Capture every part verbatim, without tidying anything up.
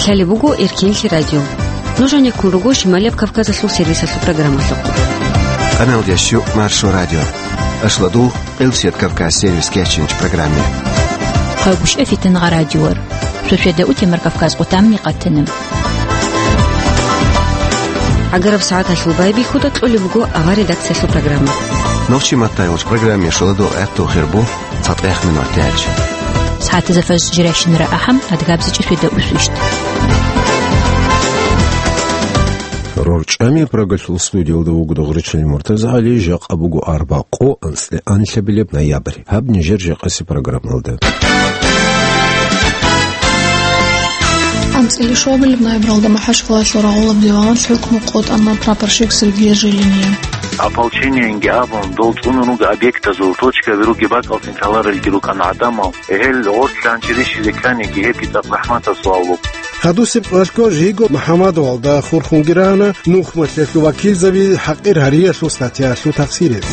Лъалеб буго Эркенлъи радио. Нуж гьанеккун руго Шималияб Кавказалъул сервисалъул программалъухъ. Къаналдияс щу Маршо радио. Ашладул Къилсият Кавказ сервис кечинч программе. Хъагушев Фитнагъа радиор. Шошеда утемар Кавказ къутамни къатана. Агараб сагӀаталъул байбихьуда кьолеб буго авар редакциялъул программа. Нохчи маттайгъуч программе шоладул гӀехтул хирбу. ЦатӀехмин ватилач. СагӀатазда фажр жирайщинара ахӀам, адгабзичӀи шведа усвищ. РорчӀами Прагалъул студиялда вуго Дугъричил МуртазагӀали, жакъа буго арбакъо, анцӀила анлъабилеб ноябрь. Гьаб нижер жакъаси программалда. АнцӀила щуабилеб ноябралда МахӀачкъалаялъул рагъулаб диваналъ хӀукму къотӀана прапорщик Сергей Жилиния. Ополчениенги абун, дол цӀунун руго объектазул, точкаби руги бакӀалцин ккаларелги рукӀана гӀадамал. Гьел гъорлъ лъанчи рищизе кканиги гьебги цӀакъ рахӀматаб суал буго. Гьадусеб кӀвалъго жиго МухӀаммадовалда хурхунги рана нухмалъиялъул вакилзаби хӀакъир гьариялъул статьялъул тафсиралъ.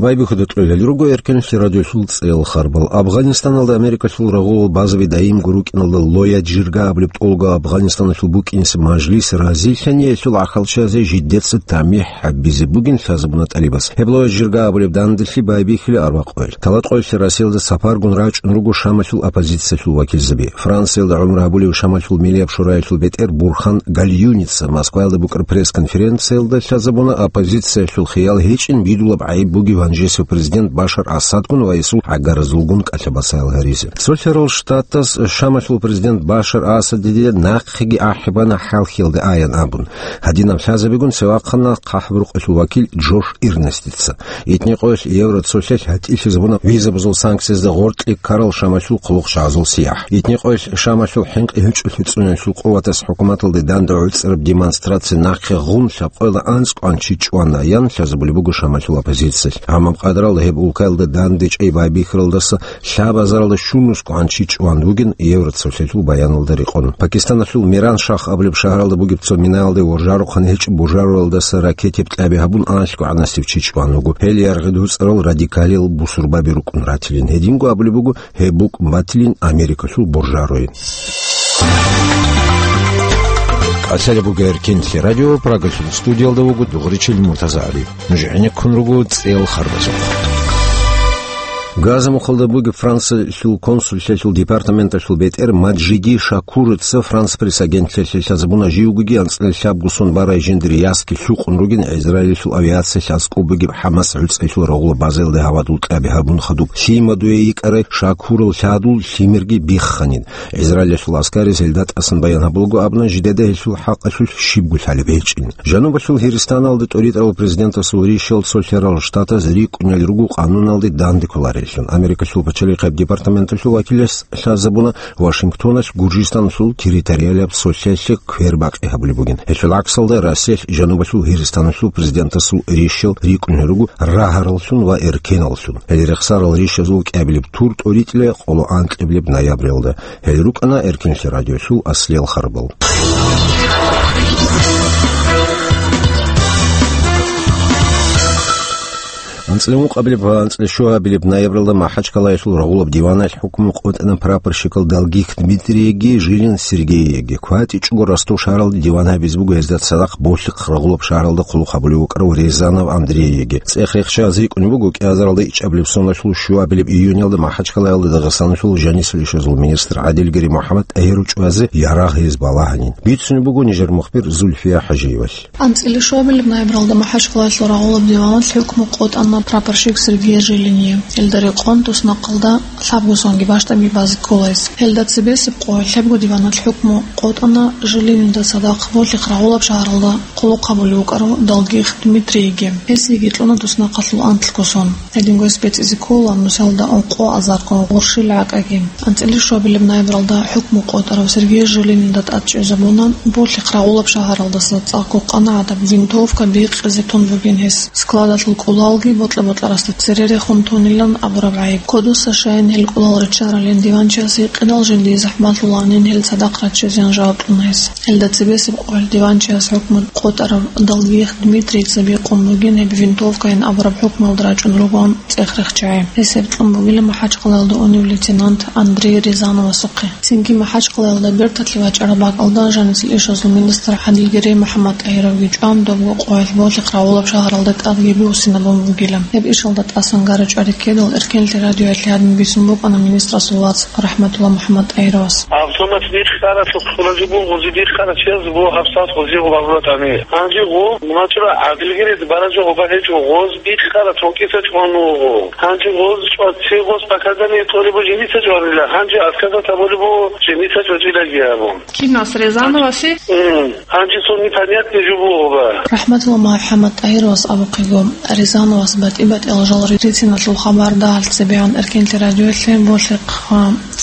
Байбихьуда кьолел руго Эркенлъи радиолъул цӀел харбал. Афганистаналда Америкалъул рагъул базаби даимго рукӀиналда Лоя Джирга абулеб тӀолго Афганистаналъул букӀинси мажлис разилъани гьелъул гӀахьалчиязе жидеца тамихӀ гьабизе бугин лъазабуна тӀалибас. Гьеб Лоя Джирга абулеб данделъи байбихьила арбакъоялъ. ТалатӀоялъ Россиялда сапаргун рачӀун руго Шамалъул оппозициялъул вакилзаби. Франциялда гӀумру гьабулев Шамалъул Миллияб шураялъул бетӀер Бурхан Гальюница Москваялда букӀараб пресс-конференциялда лъазабуна оппозициялъул хиял гьечӀин бидулаб гӀайиб бугеб гьанжесев президент Башар Асадгун ва гьесул гӀагаразулгун кӀалъа-бацаял гьаризе. Цолъарал Штатас Шамалъул президент Башар Асадиде нахъеги ахӀи бана хӀалхьиялда аян абун. Гьадинаб лъазабигун цевахъана хъахӀбуркъалъул вакил Джош Ирнестица. Итни къоялъ евроцолъиялъ гьатӀилъизабуна визабазул санкциязда гъоркье ккарал Шамалъул хъулухъчагӀазул сияхӀ. Итни къоялъ Шамалъул хӀинкъи гьучӀулъи цӀуниялъул къуватас хӀукуматалде данде гӀуцӀараб демонстраци нахъе гъун лъабкъоялда анцӀ кӀванчи чӀван аян лъазабулеб буго Шамалъул оппозициялъ. Гьамаб къадаралда гьеб улкаялда данде чӀей байбихьаралдаса лъабазаралда щунусго гӀанчи чӀван вугин Евроцолъиялъул баяналда рекъон. Пакистаналъул Миран-Шах абулеб шагьаралда бугеб цо минаялде воржарухъан гьечӀеб бужаруралдаса ракетяб кьаби гьабун, анлъго гӀанасев чи чӀван вуго. Гьел яргъи дуцӀарал радикалил бусурбаби рукӀун ратилин. Гьединго абулеб буго, гьеб букӀун батилин Америкалъул бужаруе. КӀалъалеб буго Эркенлъи радио, Прагалъул студиялда вуго Дугъричил МуртазагӀали. Нуж гӀенеккун руго цӀел харбазухъ. Газа мухъалда бугеб Франциялъул консуллъиялъул департаменталъул бетӀер Маджиди Шакурица Франс Пресс агентлъиялъе лъазабуна живгоги анцӀила лъабго сон барай жиндир ясги лъукъун ругин Израилалъул авиациялъ аскӀоб бугеб ХӀамас гӀуцӀиялъул рагъула базаялда гьавадул кьаби гьабун хадуб. Лъимадуе йикӀарай Шакурал лъадул лъимерги бихханин. Израилалъул аскариз гьелда тӀасан баян гьабулаго абуна, жидеда гьелъул хӀакъалъулъ щибго лъалеб гьечӀин. Жанубалъул Гьиристаналда тӀоритӀарал президентасул ришал цолъарал штатаз рикӀкӀунел руго къануналде данде кколареллъун. Америкалъул пачалихъияб департаменталъул вакилас лъазабуна, Вашингтоналъ Гуржистаналъул территориалияб цолъиялъе квербакъи гьабулеб бугин. Гьелъул гӀаксалда Россиялъ Жанубалъул Гьиристаналъул президентасул ришал рикӀкӀунел руго рагьараллъун ва эркеналлъун. Гьел рехсарал ришазул кӀиабилеб тур тӀоритӀила къоло анкьабилеб ноябралда. Гьел рукӀана Эркенлъи радиолъул аслиял харбал. АнцӀила ункъабилеб ва анцӀила щуабилеб ноябралда МахӀачкъалаялъул рагъулаб диваналъ хӀукму къотӀана прапорщикал Долгих Дмитрияги Жилин Сергеяги. КватӀичӀого Ростов шагьаралда диван гьабизе буго гьезда цадахъ Болъихъ рагъулаб шагьаралда хъулухъ гьабулев вукӀарав Рязанов Андрейги. ЦӀех рехчазе рикӀкӀунеб буго кӀиазаралда ичӀабилеб соналъул щуабилеб июнялда МахӀачкъалаялда Дагъистаналъул жанисел ишазул министр ГӀадилгири МухӀаммад ТӀагьир чӀвазе ярагъ гьез балагьанин. Бицунеб буго нижер мухбир Зульфия ХӀажиевалъ. АнцӀила щуабилеб ноябралда МахӀачкъалаялъул рагъулаб диваналъ хӀукму къотӀана прапорщик Сергей Жилиния. Гьелда рекъон туснахъалда лъабго сонги бащдабги базе ккола гьес. Гьелда цебесеб къоялъ лъабго диваналъ хӀукму къотӀана Жилинида цадахъ Болъихъ рагъулаб шагьаралда хъулухъ гьабулев вукӀарав Долгих Дмитрийги. Гьесиеги кьуна туснахъалъул анлъго сон. Гьединго гьес бецӀизе ккола нусалда ункъо азарго гъурщил гӀакӀаги. АнцӀила щуабилеб ноябралда хӀукму къотӀарав Сергей Жилинида тӀад чӀезабуна Болъихъ рагъулаб шагьаралдаса цӀакъго къанагӀадаб винтовка бикъизе тун бугин гьес. Складалъул кӀулалги бокьа-бокьарасда цере рехун тунилан абураб гӀайиб. Кодоса щайин Гьел кӀолал риччаралин диванчиясе гьикъидал жиндие захӀмалъуланин гьел цадахъ раччизеян жаваб кьуна гьес. Гьелда цебесеб къоялъ диванчияс хӀукму къотӀарав Долгих Дмитрийица бикъун бугин гьеб винтовкайин абураб хӀукмуялда рачӀун ругоан цӀех рехчагӀи. Гьес гьеб кьун бугила МахӀачхъалаялда унев лейтенант Андрей Рязановасухъе. Цинги МахӀачхъалаялда берталъе вачӀараб бакӀалда жанисел ишазул министр ГӀадилгерей МухӀаммадтӀагьировги чӀван, добго къоялъ болъихъ рагъулаб шагьаралда тӀадги буссинабун бугила. Гьеб ишалда тӀасан гара чӀвари ккедал, Эркенлъи радиоялъе гьадин бицун букӀана министрасул вац РахӀматулла МухӀаммадтӀагьировас. Автомат бихъаралъухъ кьуразе бугъузи бихъарачияз бу гьабсагӀат гъузи гъубарулатани. Гьанже гъу, мачӀура, ГӀадилгерей баража гъуба гьечӀо, гъоз бихъара токиса чӀван вугъу. Гьанже гъоз чӀваци гъоз показания кьолебу жиниса чӀванила, гьанже отказа таболебу жиниса чӀвачӀилаги абун. Кинас Рязановасе? М, гьанже цо непонятный жо бугъуба. РахӀматулла МухӀаммадтӀагьировас абухъего, Рязановас батӀи-батӀиял жал рициналъул хабар дагьалъ цебегӀан Эркенлъи радиоялъе болъихъ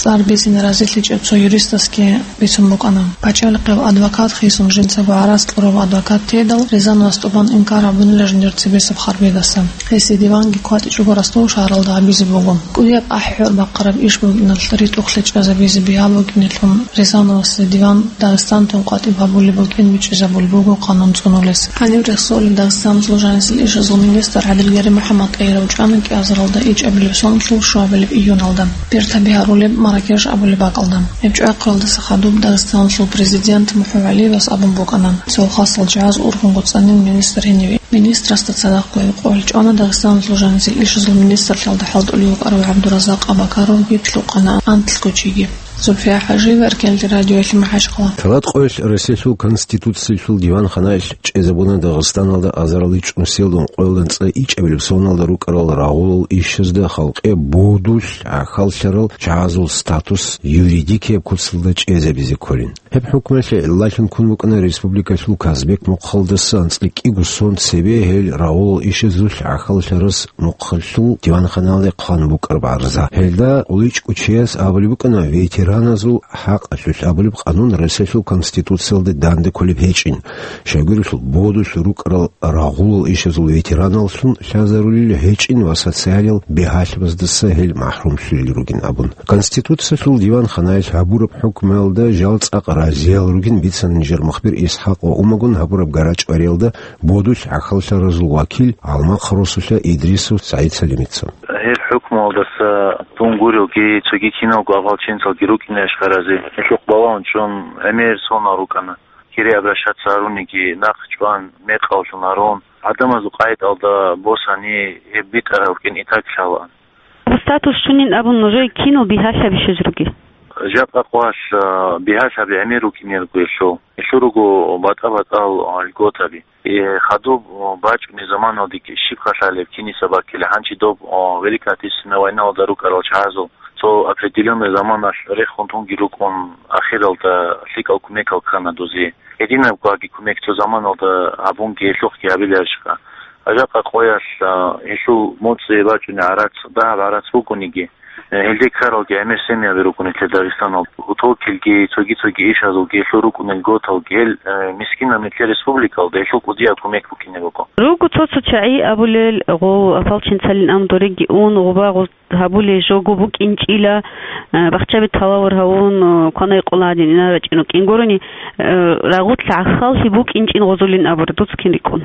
цӀар бицин разилъичӀеб цо юристасги бицун букӀана. Пачалихъев адвокат хисун жинцаго гӀарац кьурав адвокат тедал, Рязановас тӀубан инкар гьабунила жиндир цебесеб харбидаса. Гьесие диванги кватӀичӀого Ростов шагьаралда гьабизе буго. КӀудияб ахӀи-гӀур бахъараб иш букӀиналъ ритӀухълъи чӀвазабизе бигьа букӀинелъул, Рязановасда диван Дагъистаналдун къватӀиб гьабулеб букӀин бичӀчӀизабулеб буго къанун цӀунулес. Гьаниб рехсолеб Дагъистаналъул жанисел ишазул министр ГӀадилгерей МухӀаммадтӀагьиров чӀвана кӀиазаралда ичӀабилеб соналъул щуабилеб июналда, бертаби гьарулеб Маракеш абулеб бакӀалда. Гьеб чӀвахъиялдаса хадуб Дагъистаналъул президент МухӀу ГӀалиевас абун букӀана, цо хасал жагьаз ургъун гуцӀанин министр гьениве. Министрасда цадахъ гьев къоялъ чӀвана Дагъистаналъул жанисел ишазул министрлъиялда хӀалтӀулев вукӀарав ГӀабдуразакъ Абакаровги лъукъана анлъго чиги. Зульфия ХӀажиева, Эркенлъи радиоялъе, МахӀачхъала. Цадахъ къоялъ Россиялъул Конституциялъул диванханаялъ чӀезабуна Дагъистаналда азарал чӀунусиялдун къоялда анцӀила ичӀабилеб соналда рукӀарал рагъулал ишазда халкъе бодулъ гӀахьаллъарал чагӀазул статус юридикияб куцалда чӀезабизе кколин. Гьеб хӀукмуялъе гӀиллалъун ккун букӀана республикалъул Казбек мухъалдаса анцӀила кӀиго сон цебе гьел рагъулал ишазулъ гӀахьаллъарас мухъалъул диванханалде хъван букӀараб гӀарза. Гьелда гъуличӀго чияс абулеб букӀана ветераназул хӀакъалъулъ абулеб къанун Россиялъул Конституциялда данде кколеб гьечӀин, щайгурелъул бодулъ рукӀарал рагъулал ишазул ветераналлъун лъазарулел гьечӀин ва социалиял бигьалъабаздаса гьел махӀрумлъулел ругин абун. Конституциялъул диванханаялъ гьабураб хӀукмуялда жал цӀакъ разиял ругин бицана нижер мухбир ИсхӀакъ ва Умагун гьабураб гарачӀвариялда бодулъ гӀахьаллъаразул вакил Алмахъ росулъа Идрисов СагӀид-Салимица. Гьел хӀукмуялдаса дун гурелги, цоги киналго ополченцалги рукӀине ашкаразе, гьелъухъ балагьун чӀун, гӀемер сонал рукӀана. Кире обращаться гьаруниги, нахъ чӀван, мекъаллъун гьарун, гӀадамазул къайдалда босани, гьеб битӀараб рукӀин итак лъалаан. Статус щунин абун нужее кинал бигьалъаби щвез ругел? Жакъа къвалъ, а, бигьалъаби гӀемер рукӀине руго гьелъул. Гьелъул руго батӀа-батӀал, а, льготаби. Э, хадуб, а, бачӀунеб заманалдеги щибха лъалеб киниса баккила, гьанчи доб, а, Великая Отечественная войналда рукӀарал чагӀазул цо определённый заманалъ рехун тунги рукӀун, ахиралда лъикӀал кумекал ккана дузе. Гьединаб гваги кумек цо заманалда гьабунги гьелъухъги гьабиларищха? Жакъа къоялъ, а, гьелъул моцӀи бачӀунеб гӀарац, дагьаб гӀарац бугониги, э, гьелде ккаралги гӀемер семьяби рукӀун нилъер Дагъистаналда. Утокилги, цоги-цоги ишазулги, гьелъул рукӀунел готалги, гьел, э, мискинаб нилъер республикалда гьелъул кӀудияб кумек букӀине буго. Руго цо-цо чагӀи абулел, гъов ополченцалин ам дореги ун, гъуба-гъуз гьабулей жого букӀинчӀила, э, бахчаби талавар гьавун, э, кванай къола гьадин инарачӀин рукӀин гурони, э, рагъулъ гӀахьаллъи букӀинчӀин гъозулин абура, дуца кин рикӀкӀун?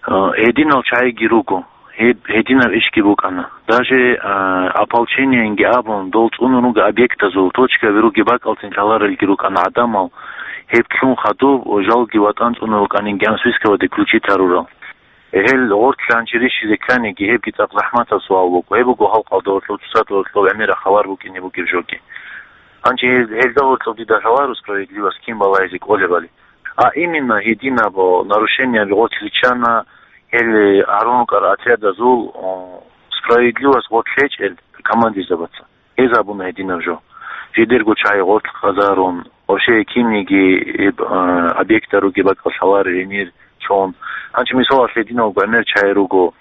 Э, гьединал чагӀиги руго, гьеб гьединаб ишги букӀана. Даже, э, ополчениенги абун, дол цӀунун руго объектазул, точкаби руги бакӀалцин лъаларелги рукӀана гӀадамал, гьеб лъун хадуб, жалги ватӀан цӀунун рукӀанин гьанже списковаде включить гьарурал. Гьел гъоркьлъи гьанже рищизе кканиги, гьебги цӀакъ захӀматаб суал буго. Гьеб буго халкъалда гьоркьоб цоцазда гьоркьоб гӀемераб хабар букӀине бугеб жоги. Гьанже гьел-, гьелда гьоркьоб дида лъаларо справедливость кин балагьизе кӀолебали. А именно гьединаб нарушениеби гъоркь риччана гьел гьарун рукӀарал отрядазул, о, справедливость гъоркь гьечӀел командирзабаца. Гьез абуна гьединаб жо. Жидерго чагӀи гъоркь къазарун, вообще кинниги гьеб, а, объектал ругеб бакӀал лъаларел гьенир чӀун. Гьанже мисалалъ гьединал гӀемер чагӀи руго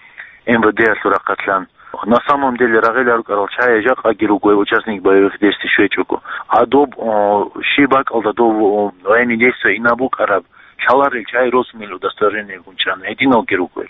МВД-ялъул рахъалъан. На самом деле рагъила рукӀарал чагӀи жакъаги руго гьеб участник боевых действий щвечӀого. А доб, о, щиб бакӀалда доб, о, военный действие инаб букӀараб лъаларел чагӀи росунел удостоверение гьечӀин гьединалги руго гьел.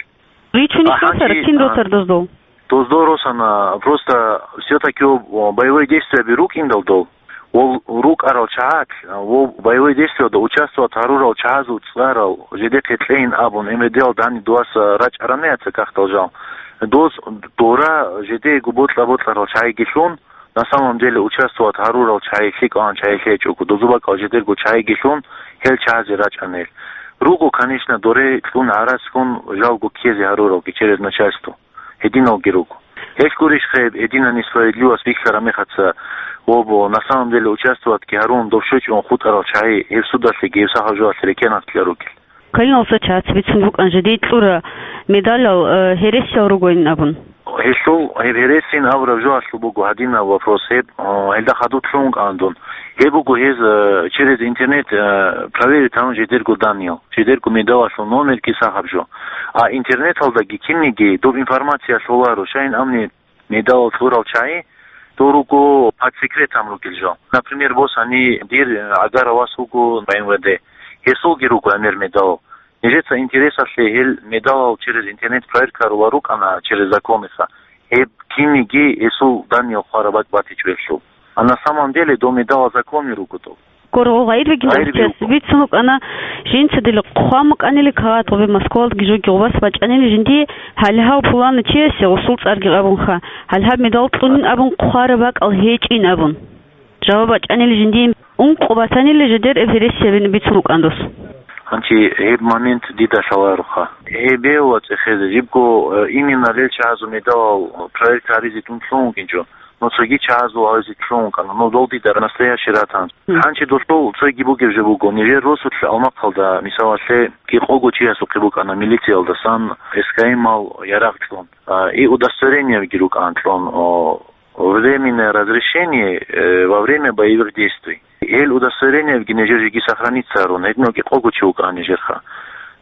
Ричунищ досар, гьанже, кин а, досар доздул? Доздо росана, просто все-таки боевой действияби рукӀиндал дол, вол рукӀарал чагӀат, вол боевой действиялда участвовать гьарурал чагӀазул цӀарал жидехъе кьейин абун, МВД-ал дани дуаса рачӀарана яца кахтал жал. Доз дора жидеего бокьа-бокьарал чагӀигелъун, на самом деле участвовать гьарурал чагӀи лъикӀалан чагӀи лъечӀого, дозу бакӀал жидерго чагӀигелъун гьел чагӀазе рачӀана гьел. Руго, конечно, доре кьун гӀарацгун жалго ккезе гьаруралги через начальство. Гьединалги руго. Гьелъ гурищ хъеб, гьединани справедливость бихьараб мехаца, обо, на самом деле участвоватьги гьарун дов щвечӀун хутӀарал чагӀи гьеб судалъеги гьеб сахаб жоялъе рекенахъ кьа ругел. Калиналса чац бицун букӀан жидей кьура медалал, э, гьересиял ругойин абун. Гьелъул гьеб гьересин абураб жоялъул буго гьадинаб вопрос гьеб, э, гьелда хадуб лъугьун кӀан дун. Гьеб буго гьез, э, через интернет, э, проверить гьарун жидерго данныял. Жидерго медалалъул номерги сахаб жо. А интернеталдаги кинниги доб информация лъоларо, щайин амни медалал кьурал чагӀи, дол руго под секретом ругел жо. Например, босани дир агара вас вуго МВД. Гьесулги руго гӀемер медалал. Нижеца интересалъе гьел медалал через интернет проверка рула рукӀана через закониха. Гьеб кинниги гьесул данныял хъвараб бакӀ батичӀо гьелъул. А на самом деле дол медалал законе руго дол. Гургъу гъайиб бугин гъайиб дагъчияс буго. Бицун букӀана, жинца дила хъван букӀанили кагъат гъубе Москвалдги жоги гъубас бачӀанили жиндие гьалгьав пулана чиясе гъусул цӀарги абунха, гьалгьаб медал кьунин абун хъвараб бакӀал гьечӀин абун. Жаваб бачӀанили жиндие ункъо батанили жидер эб гьересиябин бицун букӀан дос. Гьанчи гьеб момент дида лъалароха. Гьебе ва цӀехезе жибго, э, именно лел чагӀазул медалал проверка гьаризе дун лъугьун вукӀинчӀо. Ну, цоги чагӀазул гьавизе лъугьун ккана. Ну, дол дида настоящий ратан. Гьанчи досул цоги бугеб жо буго. Нижер росулъ Алмахъалда, мисалалъе, кӀикъого чиясухъе букӀана милициялдасан эскаимал ярагъ кьун. А, и удостоверениеги рукӀан кьун, о, временное разрешение, э, во время боевых действий. Гьел удостоверениеги нижер жеги сохраниться гьарун, гьединал кӀикъого чи вукӀана нижерха.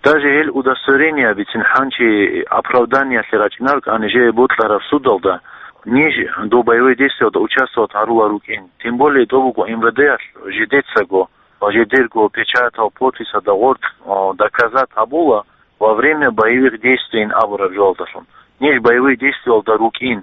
Даже гьел удостоверение бицин гьанчи оправданиялъе рачӀинаркӀан нижее бокьараб судалда, ниж доб боевой действиялда участвовать гьарула рукӀин. Тем более доб буго МВД-алъ жидецаго ва жидерго печатал, подписалда гъоркь, о, доказать гьабула во время боевых действий абураб жоялдалъун. Ниж боевой действиялда рукӀин.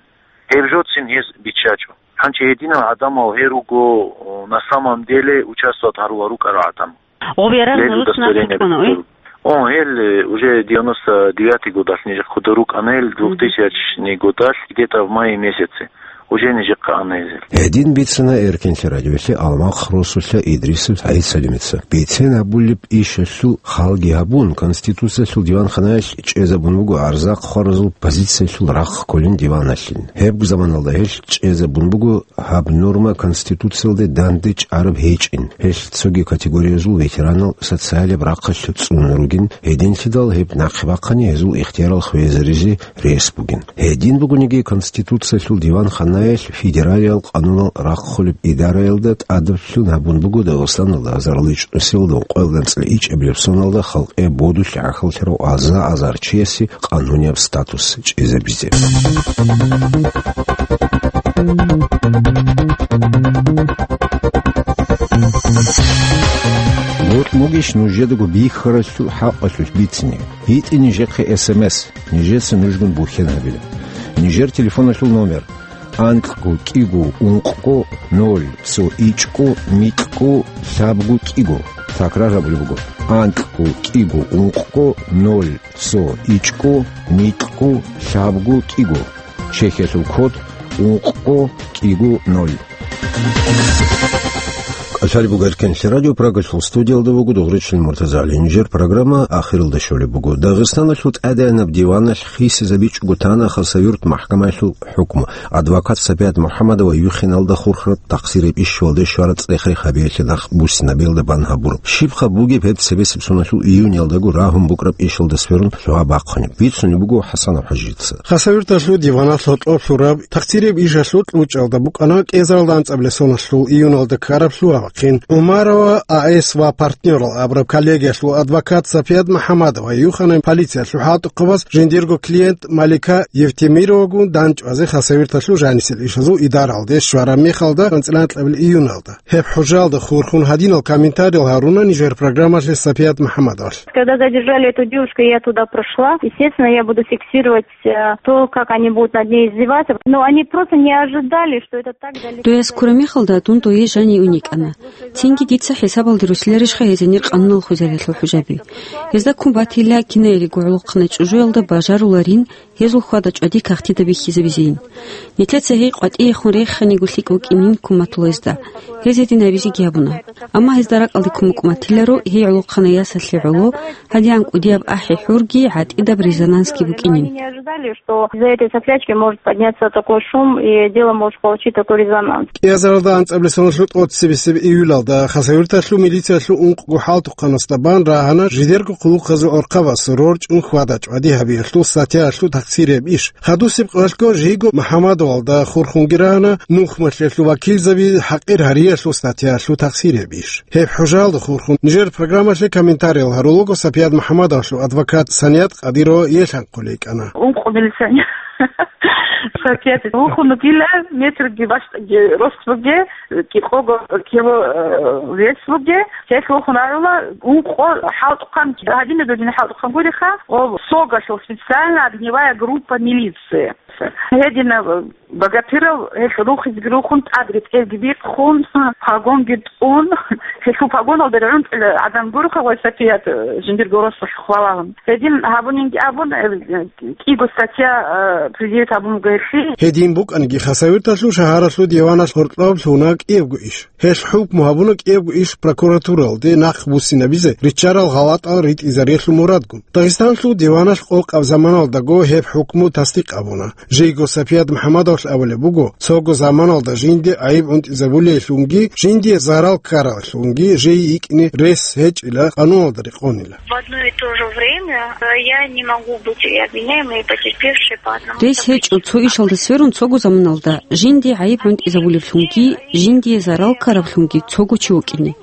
Гьеб жоцин гьез биччачӀо. Гьанчи гьединал гӀадамал гьел руго, о, на самом деле участвовать гьарула рукӀарал гӀадамал. Гъоб ярагъ Лел нуруц удостоверение нахъе кьуна, уй? Бицун. О, гьел, э, уже девяносто девятый годалъ нижехъе хъуда рукӀана гьел, Мгм. двухтысячный годалъ, где-то в мае месяце. Уже нижехъе ана гьезел. Гьедин бицана Эркенлъи радиоялъе Алмахъ росулъа Идрисов ГӀиса Салимица. Бицен гьабулеб ишалъул халги гьабун, Конституциялъул диванханаялъ чӀезабун буго гӀарзахъ хваразул позициялъул рахъ кколин диваналъин. Гьеб заманалда гьелъ чӀезабун буго гьаб норма Конституциялде данде чӀараб гьечӀин, гьелъ цоги категориязул ветеранал социалияб рахъалъ цӀуна ругин, гьединлъидал гьеб нахъе бахъани гьезул ихтиярал хвезаризе рес бугин. Гьедин бугониги, Конституциялъул диванханаялъ федералиял къанунал рахъулеб идараялда тӀадаблъун гьабун буго Дагъистаналда азарилчӀнусиялда къоялда анцӀила ичӀабилеб соналда халкъе бодулъ гӀахьаллъарав аза-азар чиясе къанунияб статус чӀезабизе. Бокь бугищ нужедаго бихьаралъул хӀакъалъулъ бицине? БитӀи нижехъе эс эм эс, нижеца нужгун бухьен гьабила. Нижер телефоналъул номер: анкьго кӀиго ункъго ноль цо ичӀго микьго лъабго кӀиго. Такрар гьабулеб буго: анкьго кӀиго ункъго ноль цо ичӀго микьго лъабго кӀиго. Чехиялъул код ункъго кӀиго ноль. КӀалъалеб буго Эркенлъи радио, Прагалъул студиялда вуго Дугъричил Муртазагьли. Нижер программа ахиралда щолеб буго. Дагъистаналъул тӀадегӀанаб диваналъ хисизабичӀого тана Хасавюрт махӀкамаялъул хӀукму. Адвокат Сапият МухӀамадова юхиналда хурхараб тахсираб ишалде щвараб цӀех-рех гьабиялъе нах буссинабиялда бан гьабураб. Щибха бугеб гьеб цебесеб соналъул июниялдаго рагьун букӀараб ишалда сверун лъугьа-бахъунеб? Бицунеб буго ХӀасанов ХӀажица. Хасавюрталъул диваналъ гьоркьоб лъураб тахсираб ишалъул кьучӀалда букӀана кӀезаралда анцӀабилеб соналъул июналда ккараб лъугьа. Садкъин. ГӀумарова АС ва партнёрал абураб коллегиялъул адвокат Сапият МухӀаммадова юхана полициялъул хӀалтӀухъабаз жиндирго клиент Малика Евтемировагун дандчӀвазе хасавюрталъул жанисел ишазул идаралде щвараб мехалда анцӀила анкьабилеб июналда. Гьеб хӀужалда хурхун гьадинал комментариял гьаруна нижер программалъе Сапият МухӀаммадовалъ. Когда задержали эту девушку, я туда прошла. Естественно, я буду фиксировать, э, то, как они будут над ней издеваться. Но они просто не ожидали, что это так далеко. Дуяс ккураб мехалда дун дое жанив уникӀана. Цинги дица хӀисабалде русиларищха гьезенир къануналъул хвезаралъул хӀужаби. Гьезда ккун батила кинаялиго гӀолохъанай чӀужуялда бажаруларин, гьезул хьвада-чӀвади кагътида бихьизабизейин. Нилъеца гьей къватӀиехун реханиго лъикӀ вукӀинин куматулезда. Гьез гьедин гьабизеги гьабуна. Амма гьезда ракӀалде кумукӀ матиларо гьей гӀолохъанай ясалъе гӀоло, гьадигӀан кӀудияб ахӀи-хӀурги гӀатӀидаб резонансги букӀинин. Они не ожидали, что из-за этой соплячки может подняться такой шум, и дело может получить такой резонанс. КӀиазаралда анцӀабилеб соналъул тӀоцебесеб июлалда Хасавюрталъул милициялъул ункъго хӀалтӀухъанасда бан рагьана жидерго хъулухъазул гӀурхъабаз рорчӀун хьвада-чӀвади гьабиялъул статьяялъул тахсирияб иш. Хадусеб къоялъго жийго МухӀаммадовалда хурхунги рагьана нухмалъиялъул вакилзаби хӀакъир гьариялъул статьяялъул тахсирияб иш. Гьеб хӀужалда хурхун нижер программалъе комментариял гьарулаго Сапият МухӀаммадовалъул адвокат Саният Къадирова елъанхъулей кӀана. Ункъо милиционер. Сапият вухун вугила, метрги бащ-, ге-, рост буге, кӀикъого кило, э, вес буге. Гьелъ вухун агӀула, ункъо хӀалтӀухъан, гьадинаб додин хӀалтӀухъан гуриха, о, СОГ-алъул, специальная огневая группа милиции. Гьединаб богатырал гьелъ рухизги рухун, тӀад ретӀелги бихъун, погонги тӀун, гьелъул погоналда регӀунтӀила гӀадан гуриха, вай Сапият, э, жиндирго росулъ хвалагьун. Гьедин гьабунинги абун, э, кӀиго статья, э, предъявить гьабун буго гьелъие. Гьедин букӀаниги, Хасавюрталъул шагьаралъул диваналъ гьоркьоб лъуна кӀиябго иш. Гьелъ хӀукму гьабуна кӀиябго иш прокуратуралде нахъ буссинабизе риччарал гъалатӀал ритӀизариялъул мурадгун. Дагъистанлъул диваналъ къокъаб заманалдаго гьеб хӀукму тасдикъ гьабуна. Жийго Сапият МухӀаммадовалъ абулеб буго, цого заманалда жинде гӀайиб гӀунтӀизабулейлъунги, жиндие зарал ккаралъунги жий йикӀине рес гьечӀила, къануналда рекъонила. В одно и то же время, э, я не могу быть и обвиняемой, и потерпевшей по одному. Рес гьечӀо цо ишалда сверун цого заманалда жинде гӀайиб гӀунтӀизабулевлъунги, жиндие зарал ккаравлъунги цого чи вукӀине.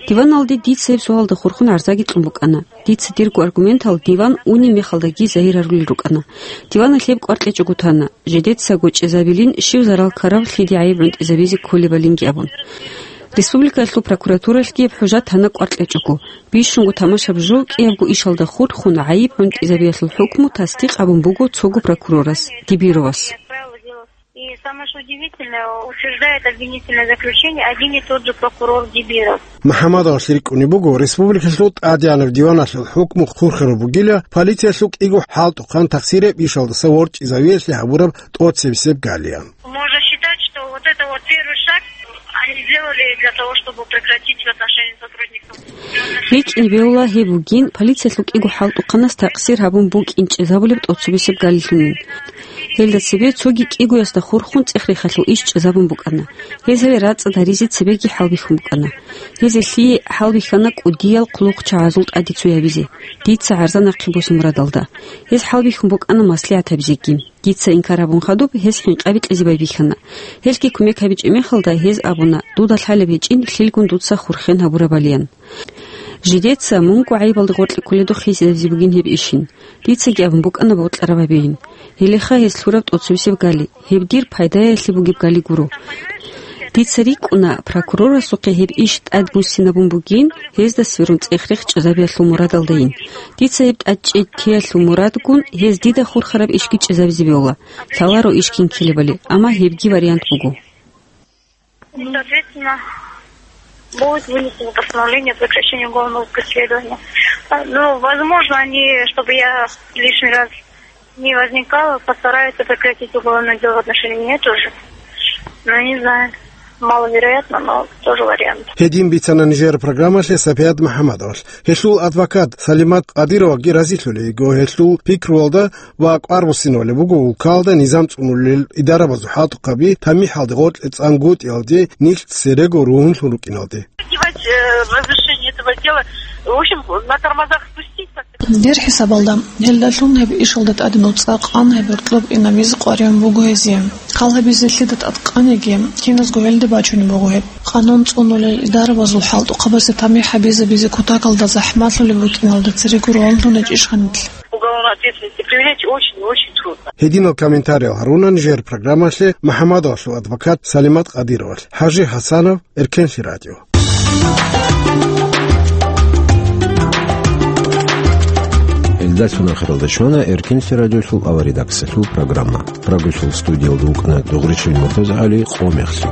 Диваналде дица гьеб суалда хурхун гӀарзаги кьун букӀана. Дица дирго аргументал диван унеб мехалдаги загьирарулел рукӀана. Диваналъ гьеб кӀвар кьечӀого тана. Жидецаго чӀезабилин щив зарал ккарав лъиде гӀайиб гӀунтӀизабизе кколебалинги абун. Республикалъул прокуратуралъги гьеб хӀужа тана кӀвар кьечӀого. Бищунго тамашаб жо кӀиябго ишалда хурхун гӀайиб гӀунтӀизабиялъул хӀукму тасдикъ гьабун буго цого прокурорас, Дибировас. И самое что удивительное, утверждает обвинительное заключение один и тот же прокурор Дибиров. МухӀаммадовалъ рикӀкӀунеб буго, республикалъул тӀадегӀанаб диваналъул хӀукму хурхараб бугила полициялъул кӀиго хӀалтӀухъан тахсирияб ишалдаса ворчӀизавиялъе гьабураб тӀоцебесеб галиян. Можно считать, что вот это вот первый шаг они сделали для того, чтобы прекратить отношения сотрудников. РикӀкӀине бегьула гьеб бугин, полициялъул кӀиго хӀалтӀухъанас такъсир гьабун букӀин чӀезабулеб тӀоцебесеб галилъунин. Гьелда цебе цоги кӀигоясда хурхун цӀех-рехалъул иш чӀезабун букӀана. Гьез гьале рацӀцӀад гьаризе цебеги хӀалбихьун букӀана. Гьезие лъие хӀалбихьана кӀудиял хъулухъчагӀазул тӀаде цо гьабизе, дица гӀарза нахъе босун мурадалда. Гьез хӀалбихьун букӀана маслигӀат гьабизеги. Дица инкар гьабун хадуб, гьез хӀинкъаби кьезе байбихьана. Гьелъги кумек гьабичӀеб мехалда, гьез абуна, дуда лъалеб гьечӀин, лъилгун дуца хурхен гьабурабалиян. Жидеца мунго гӀайибалда гъоркье кколедухъ гьезизе бугин гьеб ишин. Дицаги абун букӀана бокьараб гьабейин. Гьелеха гьез лъураб тӀоцебесеб гали, гьеб дир пайдаялъе бугеб гали гуро. Дица рикӀкӀуна, прокурорасухъе гьеб иш тӀад буссинабун бугин, гьезда сверун цӀех-рех чӀезабиялъул мурадалдайин. Дица гьеб тӀад чӀей теялъул мурадгун, гьез дида хурхараб ишги чӀезабизе бегьула, лъаларо иш кин ккелебали, амма гьебги вариант буго. Соответственно, будет вынесено постановление о прекращении уголовного преследования. А, ну, возможно, они, чтобы я лишний раз не возникала, постараются прекратить уголовное дело в отношении меня тоже. Ну, не знаю. Маловероятно, но тоже вариант. Гьедин бицана нижер программалъе Сапият МухӀаммадовалъ. Гьелъул адвокат Салимат Къадироваги разилъулей йиго гьелъул пикруялда ва кӀвар буссинабулеб буго улкалда низам цӀунулел идарабазул хӀалтӀухъаби тамихӀалде гъоркье цӀангутӀиялде нилъ церего ругьунлъун рукӀиналде. Э, разрешение этого дела, в общем, на тормозах спустить как-то. Дир хӀисабалда, гьелдалъун гьеб ишалда тӀаде нуцӀа къан гьеб гьоркьоб инабизе къваригӀун буго гьезие. Хал гьабизе лъида тӀадкъаниги, киназго гьелде бачунеб буго гьеб. Къанун цӀунулел идарабазул хӀалтӀухъабазе тамихӀ гьабизабизе кутакалда захӀмалъулеб букӀиналда церего ролдуначӀищха нилъ? Уголовной ответственности привлечь очень и очень трудно. Гьединал комментариял гьаруна нижер программалъе МухӀаммадовалъул адвокат Салимат Къадировалъ. ХӀажи ХӀасанов, Эркенлъи радио. Гьелдалъун ахиралда щвана Эркенлъи радиолъул аваредакциялъул программа. Прагасул студиялда вукӀана Дугъричил МуртазагӀали, къо мехлъи.